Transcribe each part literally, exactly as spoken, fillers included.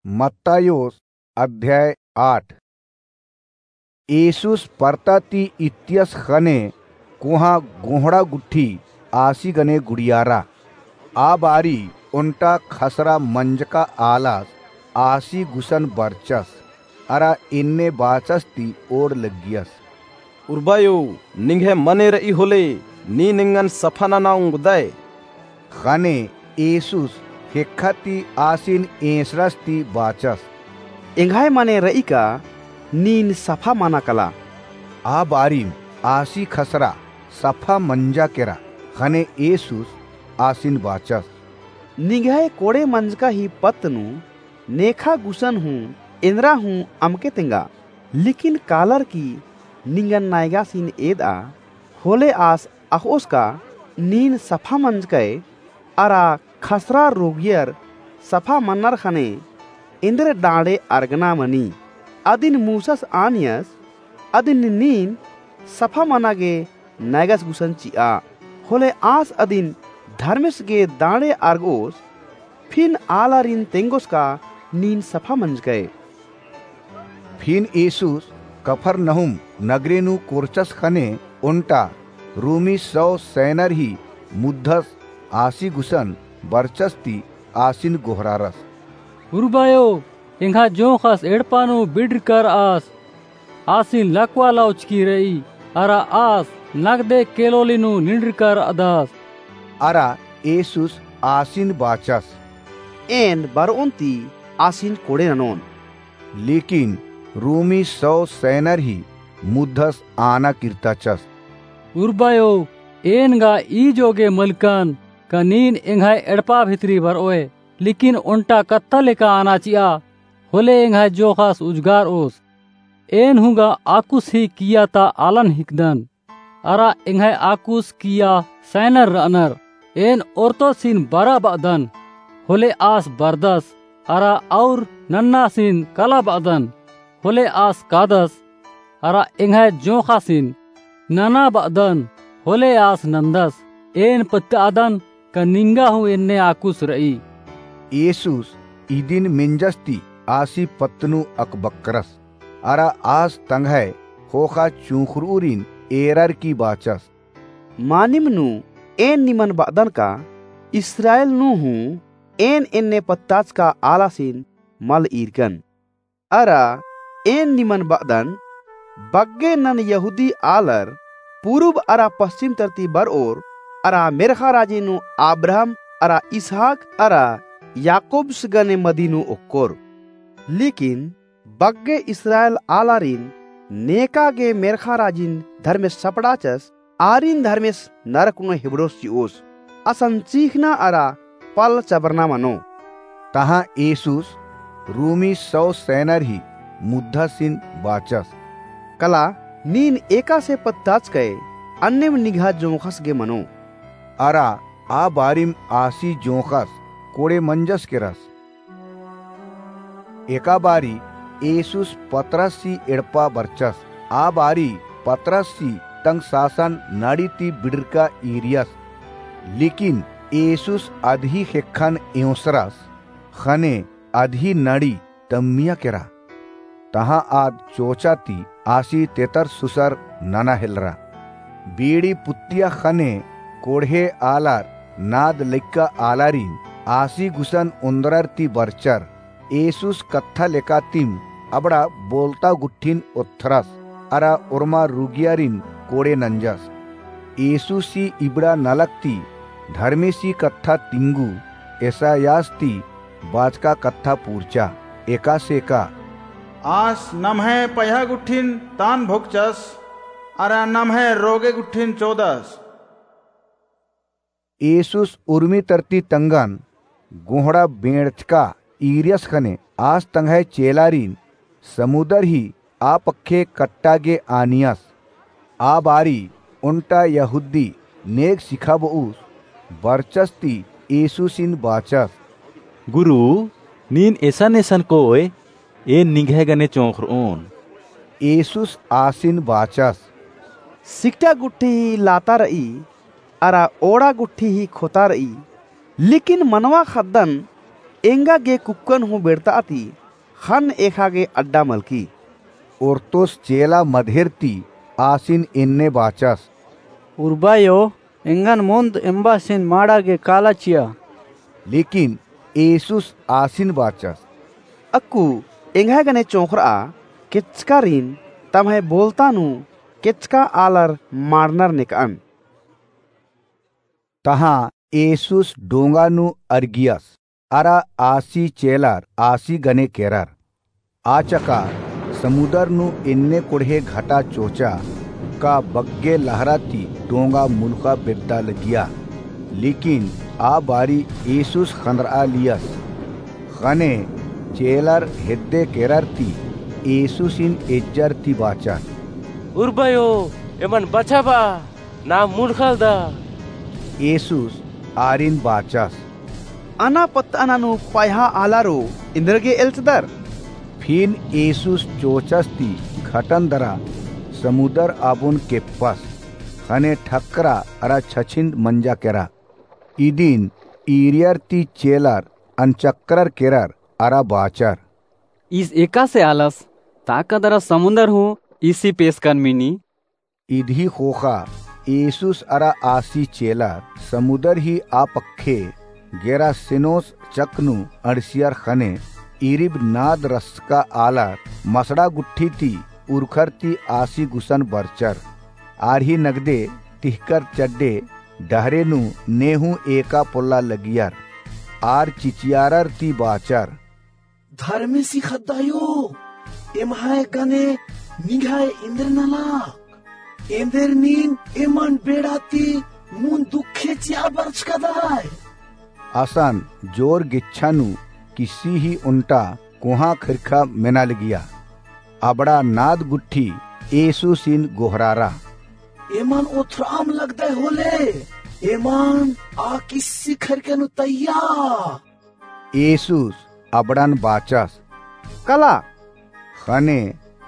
मत्तायोस अध्याय आठ। येसुस परता ती इत्तियस ख़ने कोहाँ गोंहड़ा गुट्ठी आसी गने गुड़ियारा। आ बारी ओन्टा ख़सरा मंजका आलस आसी गुसन बरचस, अरा एन्ने बाचस ती ओड़ लग्गियस। उर्बायो, निंग्है मने र'ई होले, नीन एंगन सफा नना ओंगदय। ख़ने येसुस ख़ेक्खा ती आसिन एंसरस ती बाचस। एंग्है मने र'ई का नीन सफा मना कला। आ बारिम आसी ख़सरा सफा मंजा केरा। ख़ने येसुस आसिन बाचस। निंग्है कोड़े मंजका ही पत्त नू नेखा गुसन हूँ एन्दरा हूँ अमके तेंगा। लेकिन कालर की निंगन नायगासिन एद'आ, होले आस अख़'ओस का नीन सफा मंजकय, अरा ख़सरा रोगियर सफा मन्नर ख़ने एन्देर डाँड़े अरगना मनी। अदिन मूसस आनियस, अदिन नीन सफा मना गे नायगस गुसन चि'आ। होले आस अदिन धर्मेस गे डाँड़े अरग'ओस, फिन आलारिन तेंगोस का नीन सफा मंजकय। फिन येसुस कफरनहूम नगरे नू कोरचस ख़ने ओन्टा रोमी सौ सैनर ही मुद्धस आसी गुसन बरचस ती आसिन गोहरारस। उर्बायो, एंग्है जोंख़स एड़पा नू बिड़रकर आस। आसिन लकवा लौचकी र'ई, अरा आस नगदे केलोली नू निंड़रकर अदस। अरा येसुस आसिन बाचस। एन बर'ओन ती आसिन कोड़े ननोन। लेकिन रोमी सौ सैनर ही मुद्धस आना किर्ताचस। उर्बायो, एन गा ई जोगे मलकन का नीन एंग्है एड़पा भितरी बर'ओय, लेकिन ओन्टा कत्था लेका आना चि'आ, होले एंग्है जोंख़स उजगार'ओस। एन हूँ गा आकुस ही किय्या ता आलन हिकदन। अरा एंग्है आकुस किय्या सैनर र'अनर। एन ओर्तोसिन बरा ब'अदन, होले आस बरदस, अरा और नन्नासिन कला ब'अदन, होले आस कादस, अरा एंग्है जोंख़ासिन नना ब'अदन, होले आस नन्दस। एन पत्तादन का निंगा हूँ एन्ने आकुस र'ई। येसुस इदिन मेंजस ती आसी पत्त नू अकबक्करस। अरा आस तंग्है ख़ोख़ा चुंख़ुर'ऊरिन एरर की बाचस। मानिम नू एन निमन ब'अदन का इस्राएल नू हूँ एन एन्ने पत्ताचका आलासिन मल ईरकन। अरा एन निमन ब'अदन, बग्गे नन यहूदी आलर पूरुब अरा पस्चिम तरती बर'ओर, अरा मेर्ख़ा राजी नू अब्राहम अरा इसहाक अरा याकूबस गने मदी नू ओक्कोर। लेकिन बग्गे इस्राएल आलारिन नेका गे मेर्ख़ा राजिन धर्मेस सपड़ाचस, आरिन धर्मेस नरक नू हेबड़ोस चि'ओस। असन चीख़ना अरा पल चबरना मनो। तहाँ येसुस रोमी सौ सैनर ही मुद्धासिन बाचस। कला नीन एकासे पत्ताचकय, अन्नेम निंग्है जोंख़स गे मनो। अरा आ बारिम आसी जोंख़स कोड़े मंजस केरस। एका बारी येसुस पतरससी एड़पा बरचस। आ बारी पतरससी तंग सासन नड़ी ती बिड़रका ईरियस। लेकिन येसुस अदही ख़ेक्खन एंवसरस, ख़ने अदही नड़ी तम्मिया केरा। तहाँ आद चोचा ती आसी तेतर सुसर नना हेलरा। बीड़ी पुत्तिया ख़ने कोड़हे आलर नाद लइक्का आलारिन आसी गुसन ओन्द्रर ती बरचर। येसुस कत्था लेकातिम अबड़ा बोलता गुट्ठिन ओत्थरस, अरा ओर्मा रुगियारिन कोड़े नंजस। येसुसी इबड़ा नलख ती धर्मेसी कत्था तिंगु एसायास ती बाचका कत्था पूरचा, एकासे का, आस नम्है पयहा गुट्ठिन तान भोकचस, अरा नम्है रोगे गुट्ठिन चोदस। येसुस उर्मी तरती तंगन गोहड़ा बेंड़चका ईरियस ख़ने आस तंग्है चेलारिन समुदर ही आ पक्खे कट्टा गे आनियस। आ बारी ओन्टा यहूदी नेग सिखाब'ऊस बरचस ती येसुसिन बाचस, गुरु, नीन एसन एसन कोय, एन निंग्है गने चोंख़र'ओन। येसुस आसिन बाचस, सिकटा गुट्ठी ही लाता र'ई, अरा ओड़ा गुट्ठी ही खोता र'ई, लेकिन मनवा ख़द्दन एंगा गे कुक्कन हूँ बेड़ता ती ख़न्न एख़ा गे अड्डा मलकी। ओर्तोस चेला मधेर ती आसिन एन्ने बाचस, उर्बायो, एंगन मुन्द एम्बासिन माड़ा गे काला चिआ। लेकिन येसुस आसिन बाचस, अक्कु एंग्है गने चोंख़रआ, केचकारिन तम्है बोलता नू केचका आलर माड़नर नेकअन। तहाँ येसुस डोंगा नू अरगियस, अरा आसी चेलर आसी गने केरर। आ चका समुदर नू एन्ने कोड़हे घटा चोचा का बग्गे लहरा ती डोंगा मुलख़ा बेद्दा लगिया। लेकिन आ बारी येसुस ख़न्दरआ लियस। ख़ने चेलर हेद्दे केरर ती येसुसिन एज्जर ती बाचर, उर्बायो, एमन बछाबआ, ना मुलख़ालदा। येसुस आरिन बाचस, अना पत्तअना नू पायहा आलारो इन्द्र गे एल्चदर। फिन येसुस चोचस ती घटन दरा समुदर आबोन केप्पस, ख़ने ठक्करा अरा छछिन्द मंजा केरा। इदिन ईरियर ती चेलर अनचक्करर केरर अरा बाचर, ईस एकासे आलस, ताका दरा समुदर हूँ ईसी पेसकन मिनी। इदही ख़ोख़ा येसुस अरा आसी चेलर समुदर ही आ पक्खे गेरासेनोस चक नू अंड़सियर। ख़ने इरिब नाद रसका आलर मसड़ा गुट्ठी ती उरखर ती आसी गुसन बरचर। आर ही नगदे तिहकर चड्डे डहरे नू ने हूँ एका पोल्ला लगियर। आर चिचियारर ती बाचर, धर्मेसी ख़द्दायो, एम्है गने निंग्है इन्द्र नलख। एन्देर नीन एमन बेड़ा ती मुन्द दुखे चिआ बरचकदय। असन जोर गेच्छा नू किस्सी ही ओन्टा कोहाँ ख़रिखा मेना लगिया। अबड़ा नाद गुट्ठी येसुसिन गोहरारा, एमन ओथ्राम लगदय होले, एमन आ किस्सी ख़रिखा नू तइया। येसुस अबड़न बाचस, कला। ख़ने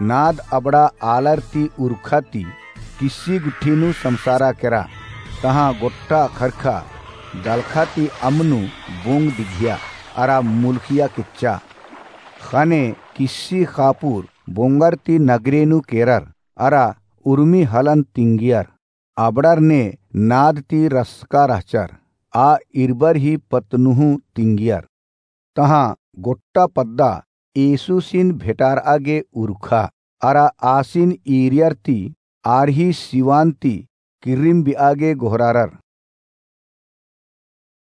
नाद अबड़ा आलर ती उरखा ती किस्सी गुट्ठी नू समसारा केरा। तहाँ गोट्टा ख़रिखा दलख़ा ती अम्म नू बोंग दिघिया अरा मुलख़िया केच्चा। ख़ने किस्सी ख़ापुर बोंगर ती नगरे नू केरर अरा उर्मी हलन तिंगियर। अबड़र ने नाद ती रसका रहचर, आ इरबर ही पत्त नू हूँ तिंगियर। तहाँ गोट्टा पद्दा येसुसिन भेटारआ गे उरखा अरा आसिन ईरियर ती आर ही सिवान ती किर्रिम बिआ गे गोहरारर।